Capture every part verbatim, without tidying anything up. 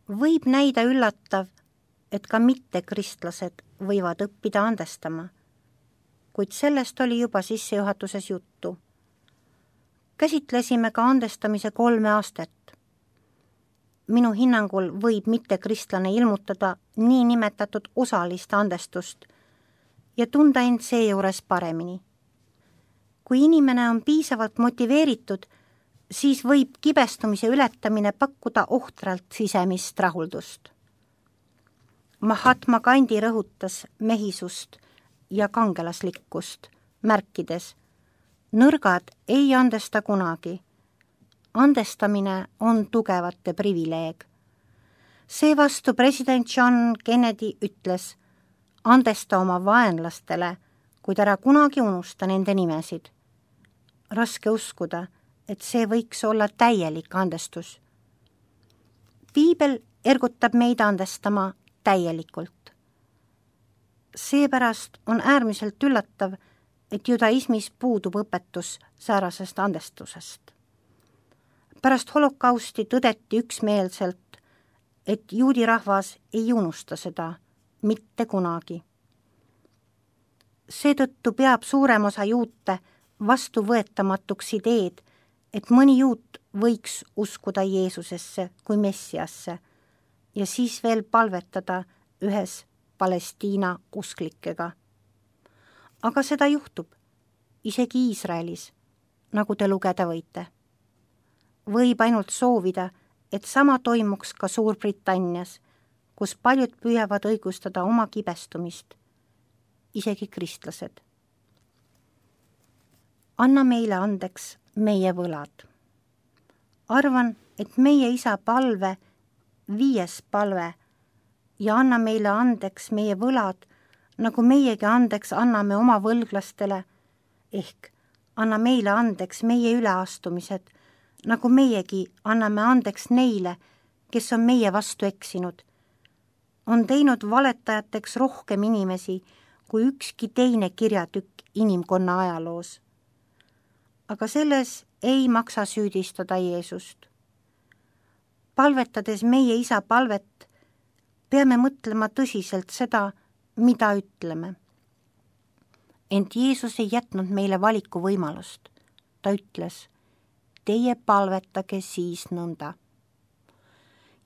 Võib näida üllatav, et ka mittekristlased võivad õppida andestama, kuid sellest oli juba sissejuhatuses juttu. Käsitlesime ka andestamise kolme aastat. Minu hinnangul võib mittekristlane ilmutada nii nimetatud osalist andestust ja tunda end seejuures paremini. Kui inimene on piisavalt motiveeritud, siis võib kibestumise ületamine pakkuda ohtralt sisemist rahuldust. Mahatma Gandhi rõhutas mehisust ja kangelaslikkust, märkides: nõrgad ei andesta kunagi. Andestamine on tugevate privileeg. Seevastu president John Kennedy ütles: andesta oma vaenlastele, kuid ära kunagi unusta nende nimesid. Raske uskuda, et see võiks olla täielik andestus. Piibel ergutab meid andestama täielikult. Seepärast on äärmiselt üllatav, et judaismis puudub õpetus säärasest andestusest. Pärast holokausti tõdeti üksmeelselt, et juudi rahvas ei unusta seda mitte kunagi. Seetõttu peab suurem osa juute vastuvõetamatuks ideed, et mõni juut võiks uskuda Jeesusesse kui Messiasse ja siis veel palvetada ühes Palestiina usklikega. Aga seda juhtub, isegi Iisraelis, nagu te lugeda võite. Võib ainult soovida, et sama toimuks ka Suurbritannias, kus paljud püüavad õigustada oma kibestumist, isegi kristlased. Anna meile andeks meie võlad. Arvan, et meie isa palve, viies palve, ja anna meile andeks meie võlad, nagu meiegi andeks anname oma võlglastele, ehk anna meile andeks meie üleastumised, nagu meiegi anname andeks neile, kes on meie vastu eksinud. On teinud valetajateks rohkem inimesi kui ükski teine kirjatükk inimkonna ajaloos. Aga selles ei maksa süüdistada Jeesust. Palvetades meie isa palvet, peame mõtlema tõsiselt seda, mida ütleme. Ent Jeesus ei jätnud meile valiku võimalust. Ta ütles: teie palvetage siis nõnda.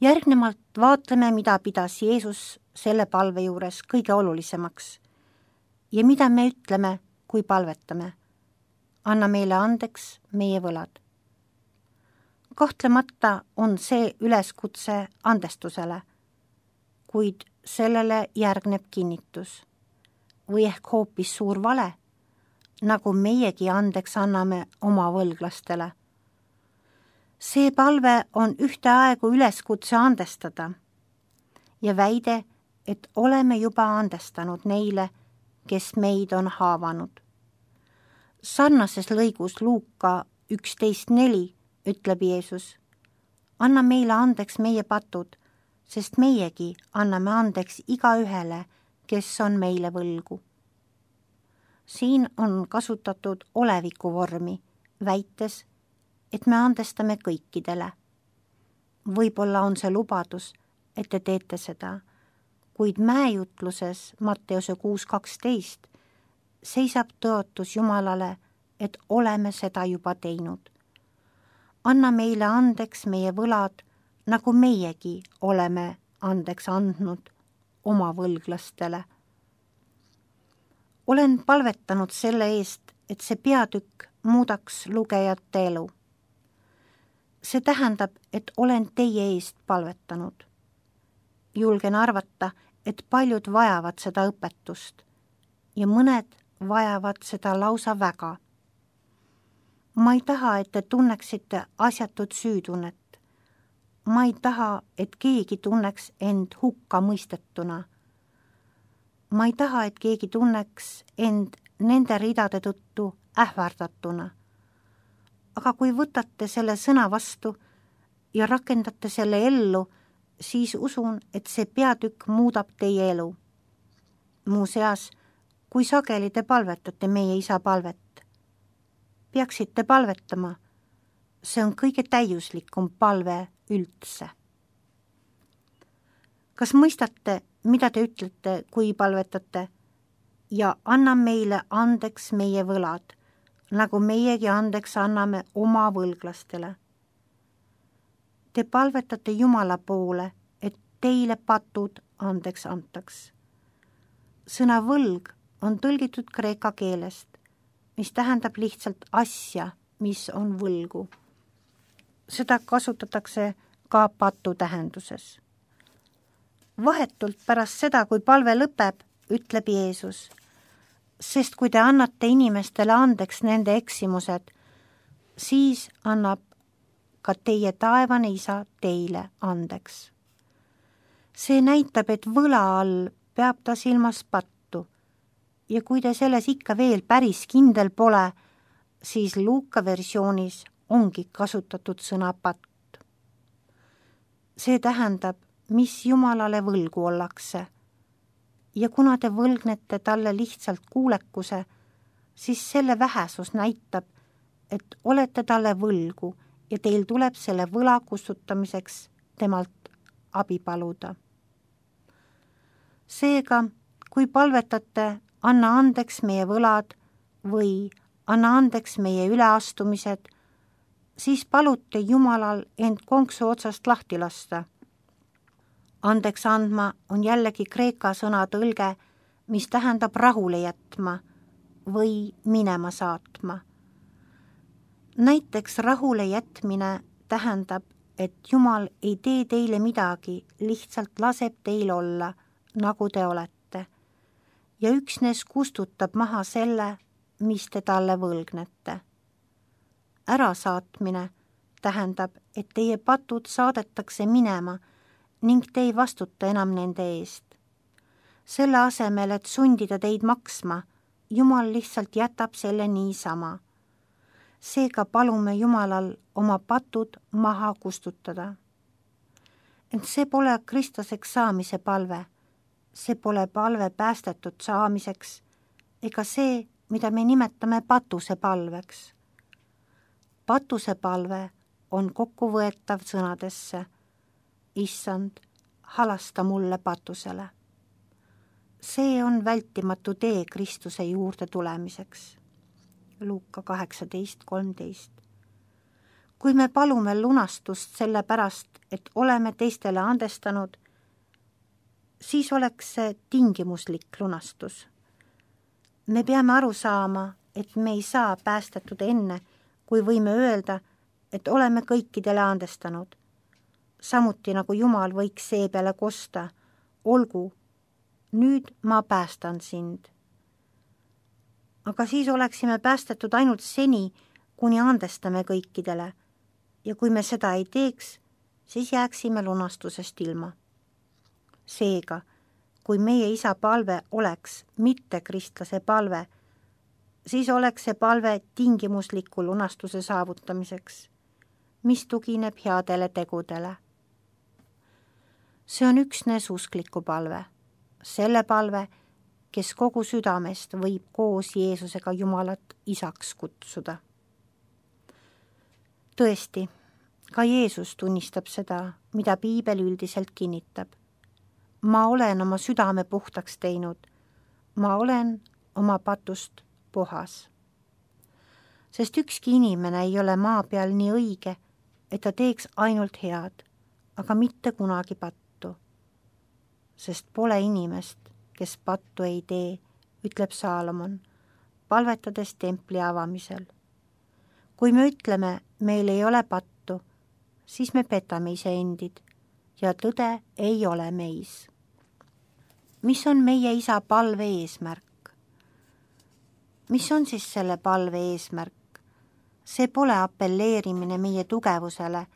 Järgnevalt vaatleme, mida pidas Jeesus selle palve juures kõige olulisemaks ja mida me ütleme, kui palvetame. Anna meile andeks meie võlad. Kahtlemata on see üleskutse andestusele, kuid sellele järgneb kinnitus või ehk hoopis suur vale, nagu meiegi andeks anname oma võlglastele. See palve on ühteaegu üleskutse andestada ja väide, et oleme juba andestanud neile, kes meid on haavanud. Sarnases lõigus Luuka üksteist neli ütleb Jeesus: anna meile andeks meie patud, sest meiegi anname andeks igaühele, kes on meile võlgu. Siin on kasutatud oleviku vormi, väites, et me andestame kõikidele. Võib-olla on see lubadus, et te teete seda, kuid mäejutluses Matteuse kuus kaksteist seisab tõotus Jumalale, et oleme seda juba teinud. Anna meile andeks meie võlad, nagu meiegi oleme andeks andnud oma võlglastele. Olen palvetanud selle eest, et see peatükk muudaks lugejate elu. See tähendab, et olen teie eest palvetanud. Julgen arvata, et paljud vajavad seda õpetust ja mõned vajavad seda lausa väga. Ma ei taha, et te tunneksite asjatut süütunnet. Ma ei taha, et keegi tunneks end hukka mõistetuna. Ma ei taha, et keegi tunneks end nende ridade tõttu ähvardatuna. Aga kui võtate selle sõna vastu ja rakendate selle ellu, siis usun, et see peatükk muudab teie elu. Muuseas, kui sageli te palvetate meie isa palvet? Peaksite palvetama. See on kõige täiuslikum palve üldse. kas mõistate, mida te ütlete, kui palvetate? Ja anna meile andeks meie võlad, nagu meiegi andeks anname oma võlglastele. Te palvetate Jumala poole, et teile patud andeks antaks. Sõna võlg on tõlgitud kreeka keelest, mis tähendab lihtsalt asja, mis on võlgu. Seda kasutatakse ka patu tähenduses. Vahetult pärast seda, kui palve lõpeb, ütleb Jeesus, sest kui te annate inimestele andeks nende eksimused, siis annab ka teie taevane isa teile andeks. See näitab, et võla all peab ta silmas pattu ja kui te selles ikka veel päris kindel pole, siis Luuka versioonis ongi kasutatud sõna patt. See tähendab, mis Jumalale võlgu ollakse. Ja kuna te võlgnete talle lihtsalt kuulekuse, siis selle vähesus näitab, et olete talle võlgu ja teil tuleb selle võla kustutamiseks temalt abi paluda. Seega, kui palvetate, anna andeks meie võlad või anna andeks meie üleastumised, siis palute Jumalal end konksu otsast lahti lasta. Andeks andma on jällegi kreeka sõna tõlge, mis tähendab rahule jätma või minema saatma. Näiteks rahule jätmine tähendab, et Jumal ei tee teile midagi, lihtsalt laseb teil olla, nagu te olete, ja üksnes kustutab maha selle, mis te talle võlgnete. Ärasaatmine tähendab, et teie patud saadetakse minema ning te ei vastuta enam nende eest. Selle asemel, et sundida teid maksma, Jumal lihtsalt jätab selle niisama. Seega palume Jumalal oma patud maha kustutada. Ent see pole kristlaseks saamise palve, see pole palve päästetud saamiseks ega see, mida me nimetame patuse palveks. Patuse palve on kokkuvõetav sõnadesse: Issand, halasta mulle patusele. See on vältimatu tee Kristuse juurde tulemiseks. Luuka kaheksateist kolmteist. Kui me palume lunastust selle pärast, et oleme teistele andestanud, siis oleks see tingimuslik lunastus. Me peame aru saama, et me ei saa päästetud enne, kui võime öelda, et oleme kõikidele andestanud. Samuti nagu Jumal võiks see peale kosta, olgu, nüüd ma päästan sind. Aga siis oleksime päästetud ainult seni, kuni andestame kõikidele, ja kui me seda ei teeks, siis jääksime lunastusest ilma. Seega, kui meie isa palve oleks mitte kristlase palve, siis oleks see palve tingimusliku lunastuse saavutamiseks, mis tugineb headele tegudele. See on üksnes uskliku palve, selle palve, kes kogu südamest võib koos Jeesusega Jumalat isaks kutsuda. Tõesti, ka Jeesus tunnistab seda, mida piibel üldiselt kinnitab. Ma olen oma südame puhtaks teinud, ma olen oma patust puhas. Sest ükski inimene ei ole maa peal nii õige, et ta teeks ainult head, aga mitte kunagi pattu. Sest pole inimest, kes pattu ei tee, ütleb Saalomon, palvetades templi avamisel. Kui me ütleme, meil ei ole pattu, siis me petame iseendid ja tõde ei ole meis. Mis on meie isa palve eesmärk? Mis on siis selle palve eesmärk? See pole apelleerimine meie tugevusele,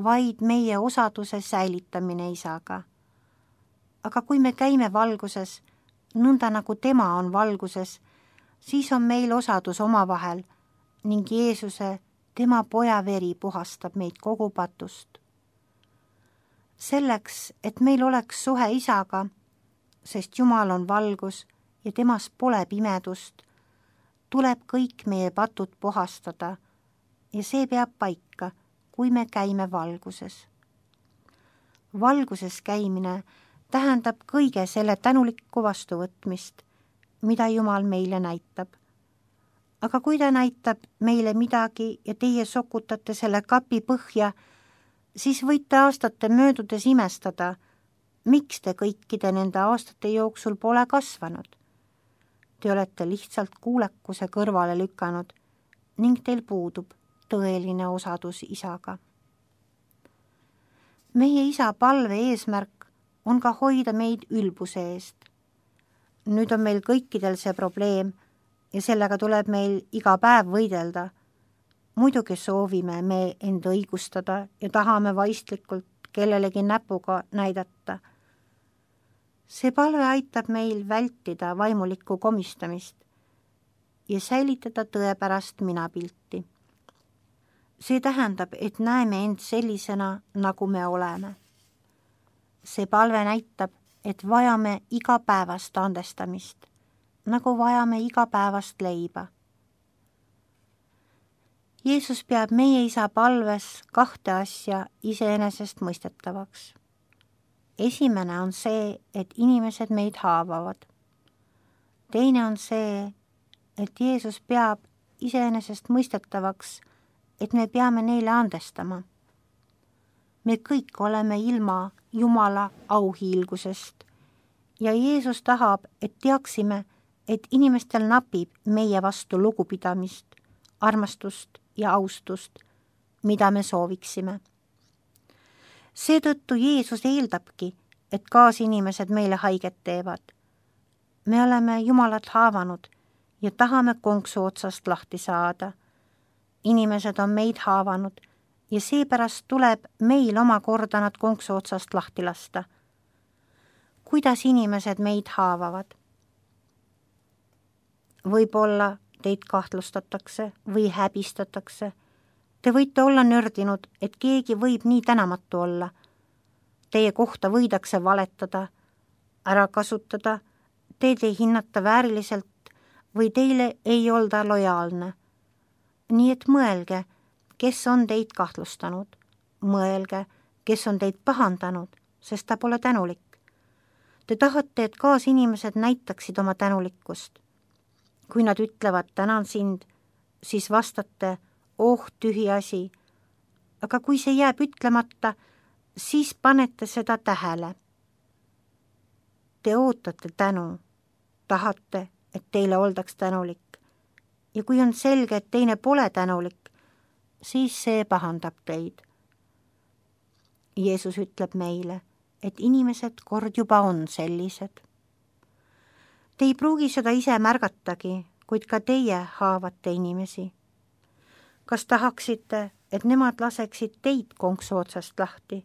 vaid meie osaduse säilitamine isaga. Aga kui me käime valguses, nõnda nagu tema on valguses, siis on meil osadus omavahel ning Jeesuse, tema poja veri puhastab meid kogu patust. Selleks, et meil oleks suhe isaga, sest Jumal on valgus ja temas pole pimedust, tuleb kõik meie patud puhastada ja see peab paika, kui me käime valguses. valguses käimine tähendab kõige selle tänulikku vastuvõtmist, mida Jumal meile näitab. Aga kui ta näitab meile midagi ja teie sokutate selle kapi põhja, siis võite aastate möödudes imestada, miks te kõikide nende aastate jooksul pole kasvanud. Te olete lihtsalt kuulekuse kõrvale lükanud ning teil puudub tõeline osadus isaga. Meie isa palve eesmärk on ka hoida meid ülbuse eest. Nüüd on meil kõikidel see probleem ja sellega tuleb meil iga päev võidelda. Muidugi soovime me end õigustada ja tahame vaistlikult kellelegi näpuga näidata. See palve aitab meil vältida vaimulikku komistamist ja säilitada tõepärast minapilti. See tähendab, et näeme end sellisena, nagu me oleme. See palve näitab, et vajame igapäevast andestamist, nagu vajame igapäevast leiba. Jeesus peab meie isa palves kahte asja iseenesest mõistetavaks. Esimene on see, et inimesed meid haavavad. Teine on see, et Jeesus peab iseenesest mõistetavaks, et me peame neile andestama. Me kõik oleme ilma Jumala auhiilgusest ja Jeesus tahab, et teaksime, et inimestel napib meie vastu lugupidamist, armastust ja austust, mida me sooviksime. Seetõttu Jeesus eeldabki, et kaasinimesed meile haiget teevad. Me oleme Jumalat haavanud ja tahame konksu otsast lahti saada. Inimesed on meid haavanud ja seepärast tuleb meil omakorda nad konksu otsast lahti lasta. Kuidas inimesed meid haavavad? Võib-olla teid kahtlustatakse või häbistatakse. Te võite olla nördinud, et keegi võib nii tänamatu olla. Teie kohta võidakse valetada, ära kasutada, teid ei hinnata vääriliselt või teile ei olda lojaalne. Nii et mõelge, kes on teid kahtlustanud. Mõelge, kes on teid pahandanud, sest ta pole tänulik. Te tahate, et kaasinimesed näitaksid oma tänulikkust. Kui nad ütlevad tänan sind, siis vastate, oh tühi asi. Aga kui see jääb ütlemata, siis panete seda tähele. Te ootate tänu, tahate, et teile oldaks tänulik. Ja kui on selge, et teine pole tänulik, siis see pahandab teid. Jeesus ütleb meile, et inimesed kord juba on sellised. Te ei pruugi seda ise märgatagi, kuid ka teie haavate inimesi. Kas tahaksite, et nemad laseksid teid konksu otsast lahti?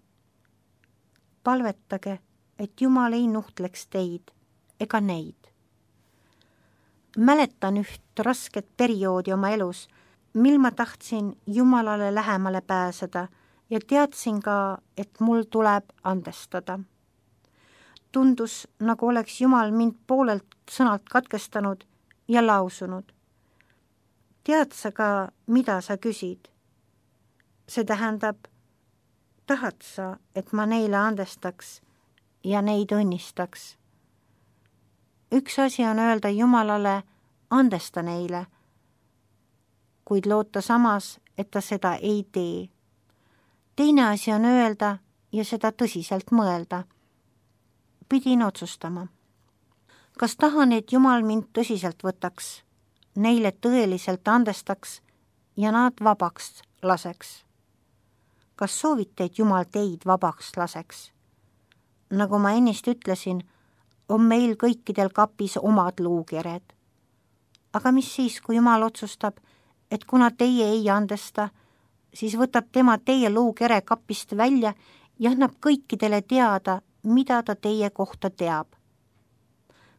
Palvetage, et Jumal ei nuhtleks teid ega neid. Mäletan üht rasket perioodi oma elus, mil ma tahtsin Jumalale lähemale pääseda ja teadsin ka, et mul tuleb andestada. Tundus, nagu oleks Jumal mind poolelt sõnalt katkestanud ja lausunud. Tead sa ka, mida sa küsid? See tähendab, tahad sa, et ma neile andestaks ja neid õnnistaks? Üks asi on öelda Jumalale, andesta neile, kuid loota samas, et ta seda ei tee. Teine asi on öelda ja seda tõsiselt mõelda. Pidin otsustama. Kas tahan, et Jumal mind tõsiselt võtaks, neile tõeliselt andestaks ja nad vabaks laseks? Kas soovite, et Jumal teid vabaks laseks? Nagu ma ennist ütlesin, on meil kõikidel kapis omad luukered. Aga mis siis, kui Jumal otsustab, et kuna teie ei andesta, siis võtab tema teie luukere kapist välja ja annab kõikidele teada, mida ta teie kohta teab.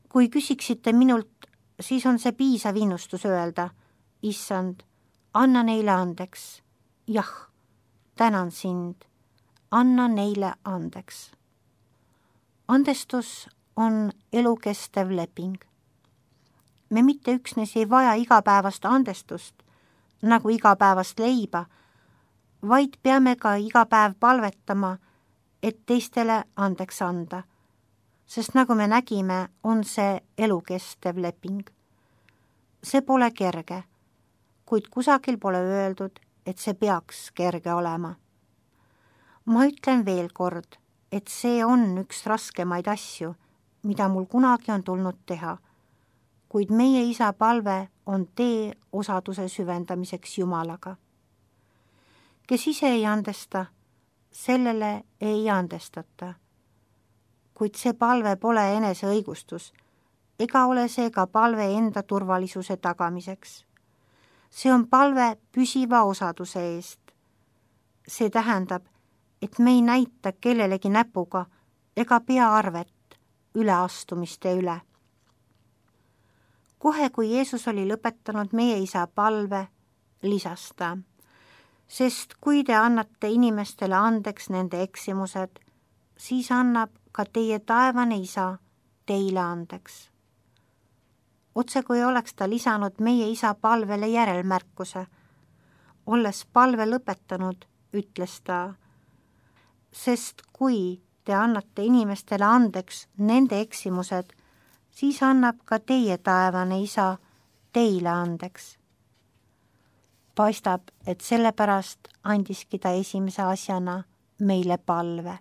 Kui küsiksite minult, siis on see piisav innustus öelda, issand, anna neile andeks. Jah, tänan sind, anna neile andeks. Andestus on elukestev leping. Me mitte üksnes ei vaja igapäevast andestust, nagu igapäevast leiba, vaid peame ka iga päev palvetama, et teistele andeks anda, sest nagu me nägime, on see elukestev leping. See pole kerge, kuid kusagil pole öeldud, et see peaks kerge olema. Ma ütlen veel kord, et see on üks raskemaid asju, mida mul kunagi on tulnud teha, kuid meie isa palve on tee osaduse süvendamiseks Jumalaga. Kes ise ei andesta, sellele ei andestata. Kuid see palve pole enese õigustus, ega ole see ka palve enda turvalisuse tagamiseks. See on palve püsiva osaduse eest. See tähendab, et me ei näita kellelegi näpuga ega pea arvet üleastumiste üle. Kohe, kui Jeesus oli lõpetanud meie isa palve, lisas ta, sest kui te annate inimestele andeks nende eksimused, siis annab ka teie taevane isa teile andeks. Otse kui oleks ta lisanud meie isa palvele järelmärkuse. Olles palve lõpetanud, ütles ta, sest kui te annate inimestele andeks nende eksimused, siis annab ka teie taevane isa teile andeks. Paistab, et sellepärast andiski ta esimese asjana meile palve.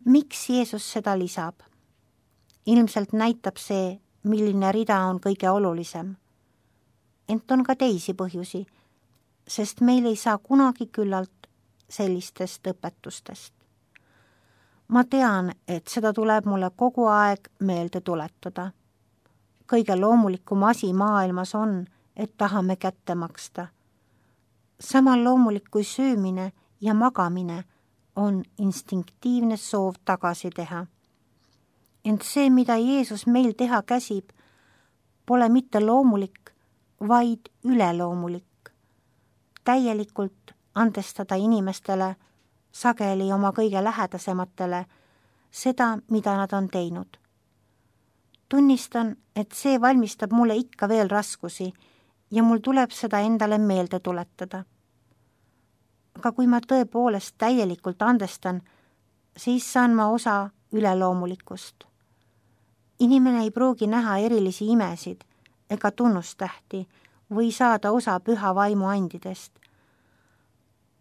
Miks Jeesus seda lisab? Ilmselt näitab see, milline rida on kõige olulisem. Ent on ka teisi põhjusi, sest meil ei saa kunagi küllalt sellistest õpetustest. Ma tean, et seda tuleb mulle kogu aeg meelde tuletada. Kõige loomulikum asi maailmas on, et tahame kätte maksta. Samal loomulik kui söömine ja magamine on instinktiivne soov tagasi teha. Ent see, mida Jeesus meil teha käsib, pole mitte loomulik, vaid üleloomulik. Täielikult andestada inimestele, sageli oma kõige lähedasematele, seda, mida nad on teinud. Tunnistan, et see valmistab mulle ikka veel raskusi ja mul tuleb seda endale meelde tuletada. Aga kui ma tõepoolest täielikult andestan, siis saan ma osa üleloomulikust. Inimene ei pruugi näha erilisi imesid ega tunnustähti või saada osa püha vaimu andidest.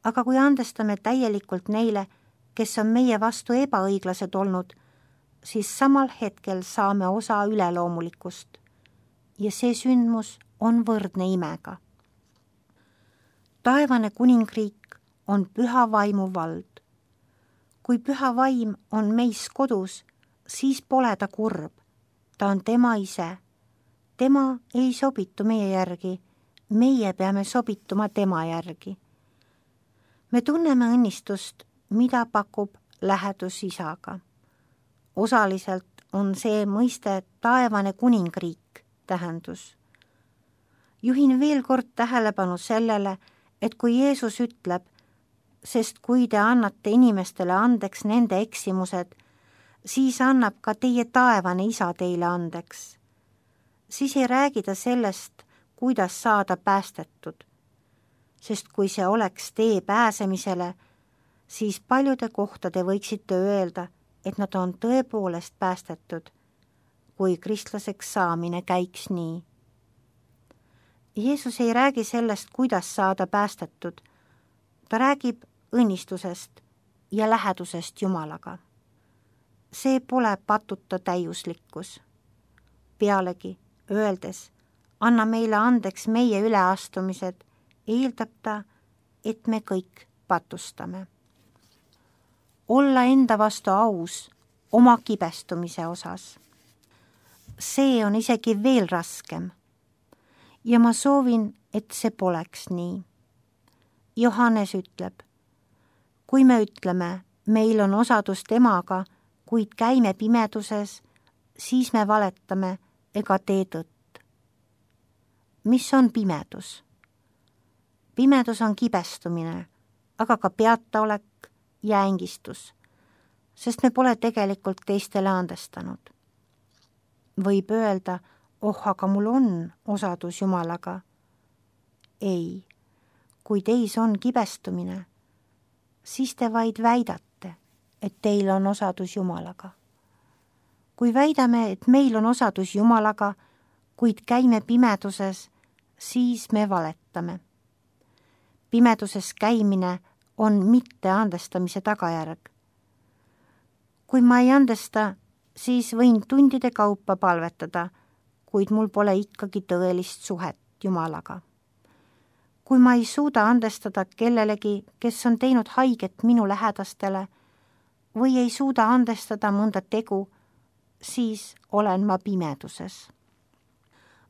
Aga kui andestame täielikult neile, kes on meie vastu ebaõiglased olnud, siis samal hetkel saame osa üleloomulikust ja see sündmus on võrdne imega. Taevane kuningriik on püha vaimu vald. Kui püha vaim on meis kodus, siis pole ta kurb. Ta on tema ise. Tema ei sobitu meie järgi, meie peame sobituma tema järgi. Me tunneme õnnistust, mida pakub lähedus isaga. Osaliselt on see mõiste taevane kuningriik tähendus. Juhin veel kord tähelepanu sellele, et kui Jeesus ütleb, sest kui te annate inimestele andeks nende eksimused, siis annab ka teie taevane isa teile andeks. Siis ei räägi ta sellest, kuidas saada päästetud. Sest kui see oleks tee pääsemisele, siis paljude kohtade võiksite öelda, et nad on tõepoolest päästetud, kui kristlaseks saamine käiks nii. Jeesus ei räägi sellest, kuidas saada päästetud. Ta räägib õnnistusest ja lähedusest Jumalaga. See pole patuta täiuslikkus. Pealegi, öeldes, anna meile andeks meie üleastumised, eeldab ta, et me kõik patustame. Olla enda vastu aus oma kibestumise osas. See on isegi veel raskem. Ja ma soovin, et see poleks nii. Johannes ütleb, kui me ütleme, meil on osadus temaga, kuid käime pimeduses, siis me valetame ega tee tõtt. Mis on pimedus? Pimedus on kibestumine, aga ka peataolek ja ängistus, sest me pole tegelikult teistele andestanud. Võib öelda, oh, aga mul on osadus Jumalaga. Ei, kui teis on kibestumine, siis te vaid väidate, et teil on osadus Jumalaga. Kui väidame, et meil on osadus Jumalaga, kuid käime pimeduses, siis me valetame. Pimeduses käimine on mitte andestamise tagajärg. Kui ma ei andesta, siis võin tundide kaupa palvetada, kuid mul pole ikkagi tõelist suhet Jumalaga. Kui ma ei suuda andestada kellelegi, kes on teinud haiget minu lähedastele, või ei suuda andestada mõnda tegu, siis olen ma pimeduses.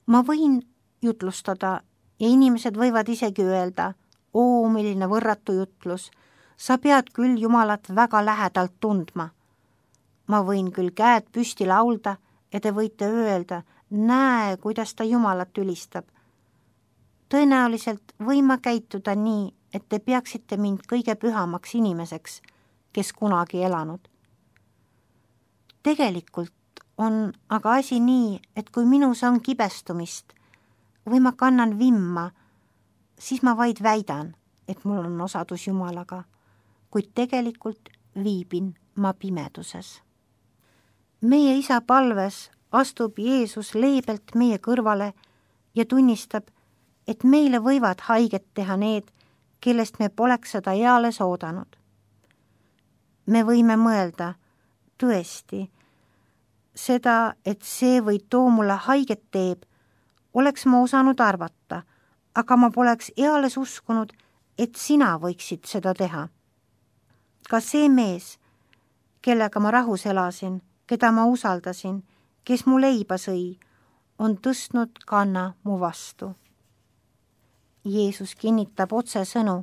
Ma võin jutlustada ja inimesed võivad isegi öelda, oo, milline võrratu jutlus, sa pead küll Jumalat väga lähedalt tundma. Ma võin küll käed püsti laulda ja te võite öelda, näe, kuidas ta Jumalat ülistab. Tõenäoliselt võin ma käituda nii, et te peaksite mind kõige pühamaks inimeseks, kes kunagi elanud. Tegelikult on aga asi nii, et kui minus on kibestumist või ma kannan vimma, siis ma vaid väidan, et mul on osadus Jumalaga, kuid tegelikult viibin ma pimeduses. Meie isa palves astub Jeesus leebelt meie kõrvale ja tunnistab, et meile võivad haiget teha need, kellest me poleks seda eales oodanud. Me võime mõelda, tõesti, seda, et see või too mulle haiget teeb, oleks ma osanud arvata, aga ma poleks eales uskunud, et sina võiksid seda teha. Ka see mees, kellega ma rahus elasin, keda ma usaldasin, kes mu leiba sõi, on tõstnud kanna mu vastu. Jeesus kinnitab otse sõnu,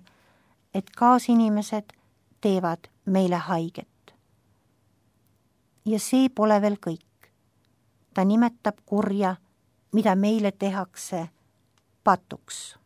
et kaasinimesed teevad meile haiget. Ja see pole veel kõik. Ta nimetab kurja, mida meile tehakse, patuks.